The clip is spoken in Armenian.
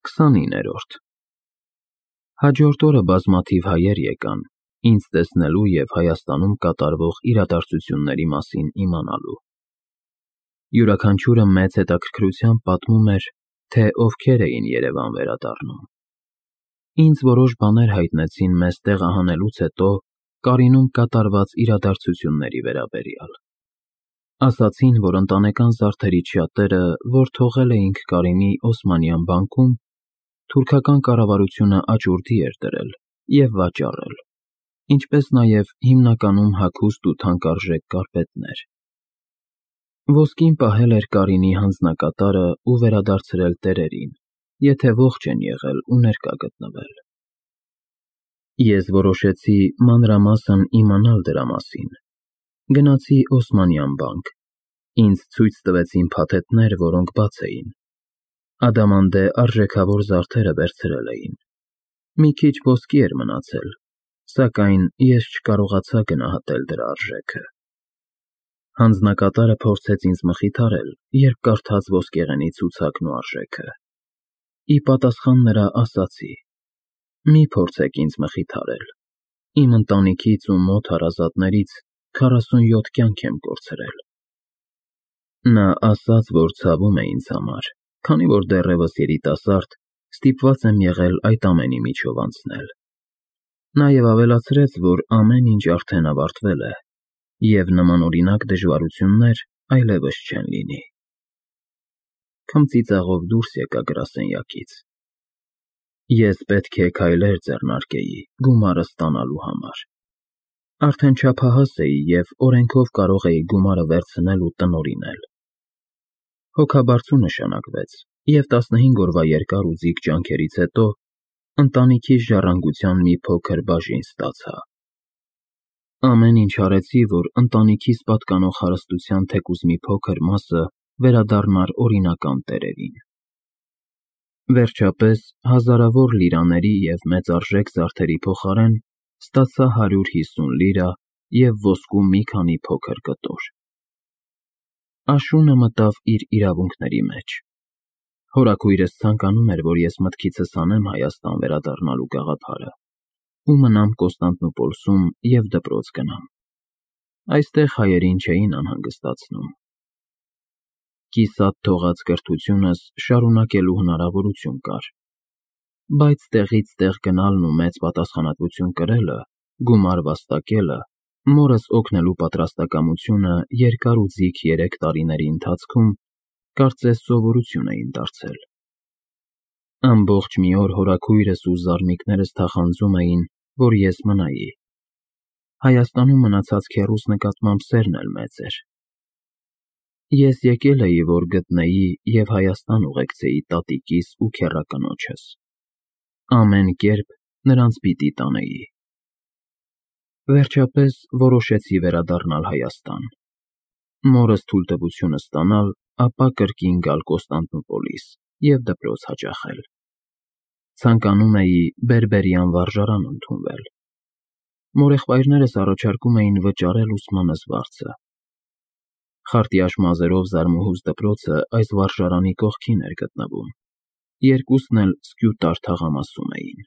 29-րդ Հաջորդ օրը բազմաթիվ հայեր եկան, ինձ տեսնելու և Հայաստանում կատարվող իրադարձությունների մասին իմանալու։ Յուրաքանչյուրը մեծ հետաքրքրությամբ պատմում էր, թե ովքեր էին Երևան վերադառնում։ Ինձ որոշ բաներ հայտնեցին մեզ տեղահանելուց հետո Կարինում կատարված իրադարձությունների վերաբերյալ։ Ասացին, որ ընտանեկան զարդերի շատերը, որ թողել էինք Կարինի Օսմանյան բանկում, թուրքական կառավարությունը աճուրդի էր դրել և վաճառել, ինչպես նաև հիմնականում հագուստ ու թանկարժեք կարպետներ։ Ոսկին պահել էր Կարինի հանձնակատարը ու վերադարձրել տերերին, եթե ողջ են եղել ու ներկա գտնվել։ Ես որոշեցի մանրամասն իմանալ դրա մասին։ Գնացի Օսմանյան բանկ, ինձ ցույց տվեցին փաթեթներ, որոնք բաց էին։ Ադամանդե արժեքավոր զարդերը վերցրել էին։ Մի քիչ ոսկի էր մնացել, սակայն ես չկարողացա գնահատել դրա արժեքը։ Հանձնակատարը փորձեց ինձ մխիթարել, երբ կարդաց ոսկեղենի ցուցակն ու արժեքը։ Ի պատասխան նրա ասացի. «Մի փորձեք ինձ մխիթարել, իմ ընտանիքից ու մոտ հարազատներից 47 կյանք եմ կորցրել»։ Նա ասաց, որ ցավում է ինձ համար, քանի որ դեռևս երիտասարդ, ստիպված եմ եղել այդ ամենի միջով անցնել։ Նաև ավելացրեց, որ ամեն ինչ արդեն ավարտվել է, և նմանօրինակ դժվարություններ այլևս չեն լինի։ Քմծիծաղով դուրս եկա գրասենյակից։ Ես պետք է քայլեր ձեռնարկեի գումարը ստանալու համար։ Արդեն չափահաս էի և օրենքով կարող էի գումարը վերցնել ու տնօրինել։ Հոգաբարձու նշանակվեց, և 15 օրվա երկար ու ձիգ ջանքերից հետո ընտանիքիս ժառանգության մի փոքր բաժին ստացա։ Ամեն ինչ արեցի, որ ընտանիքիս պատկանող հարստության թեկուզ մի փոքր մասը վերադառնար օրինական տերերին։ Վերջապես, հազարավոր լիրաների և մեծարժեք զարդերի փոխարեն ստացա 150 լիրա և ոսկու մի քանի փոքր կտոր։ Աշունը մտավ իր իրավունքների մեջ։ Հորաքույրս ցանկանում էր, որ ես մտքիցս անեմ Հայաստան վերադառնալու գաղափարը ու մնամ Կոստանդնուպոլսում և դպրոց գնամ։ Այստեղ հայերին չէին անհանգստացնում։ Կիսատ թողած կրթությունս շարունակելու հնարավորություն կար, բայց տեղից տեղ գնալն ու մեծ պատասխանատվություն կրելը, գումար վաստակելը, մորս օգնելու պատրաստակամությունը երկար ու ձիգ 3 տարիների ընթացքում կարծես սովորություն էին դարձել։ Ամբողջ մի օր հորաքույրս ու զարմիկներս թախանձում էին, որ ես մնայի։ Հայաստանում մնացած քեռուս նկատմամբ սերն էլ մեծ էր։ Ես եկել էի, որ գտնեի և Հայաստան ուղեկցեի տատիկիս ու քեռակնոջս։ Ամեն կերպ նրանց պիտի տանեի։ Վերջապես որոշեցի վերադառնալ Հայաստան, մորս թույլտվությունը ստանալ, ապա կրկին գալ Կոստանդնուպոլիս և դպրոց հաճախել։ Ցանկանում էի բերբերյան վարժարան ընդունվել։ Մորեղբայրներս առաջարկում էին վճարել ուսմանս վարձը։ Խարտյաշ մազերով զարմուհուս դպրոցը այս վարժարանի կողքին էր գտնվում։ Երկուսն էլ Սկյուտար թաղամասում էին։